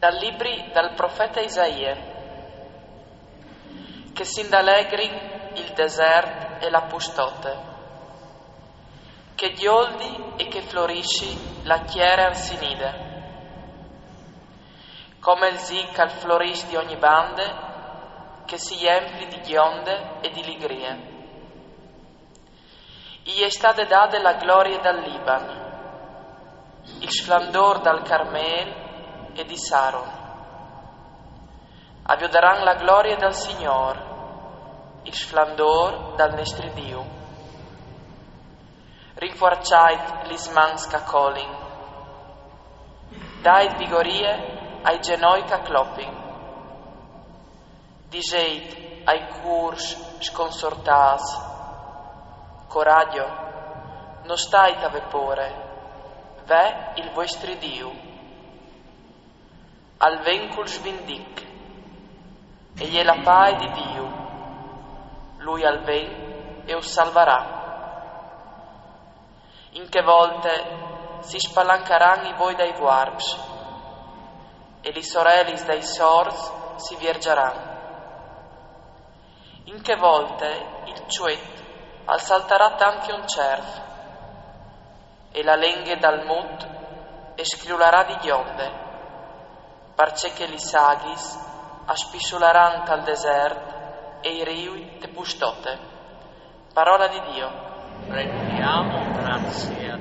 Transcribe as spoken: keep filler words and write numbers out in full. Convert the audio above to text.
Dal libri dal profeta Isaie. Che s'indalegrin il desert e la pustote, che gjoldi e che florisci la tiere arsinide, come il zic al floriss di ogni bande, che si jempli di gjonde e di ligrie. I è stade dade la glorie dal Liban, il sflandor dal Carmel e di Saron. A viodaran la glorie dal Signor, il sflandor dal nestri Diu. Rinfuarçait lis mans ch'a colin, dait vigorie ai zenoi ch'a clopin. Diseit ai cûrs sconsortâts: coragjo, no stait a vê pôre, ve il vuestri Diu. Al ven cul svindic, e je la pae di Diu, lui al ven e us salvarà. In chê volte si spalancaran i voi dai vuarps, e lis orelis dai sorts si vierzaran. In chê volte il çuet al saltarà tant che un cerf, e la lenghe dal mut e scriularà di gjonde, parcè che lis aghis a spissularan tal desert e i riui te pustote. Parola di Dio. Rendiamo grazie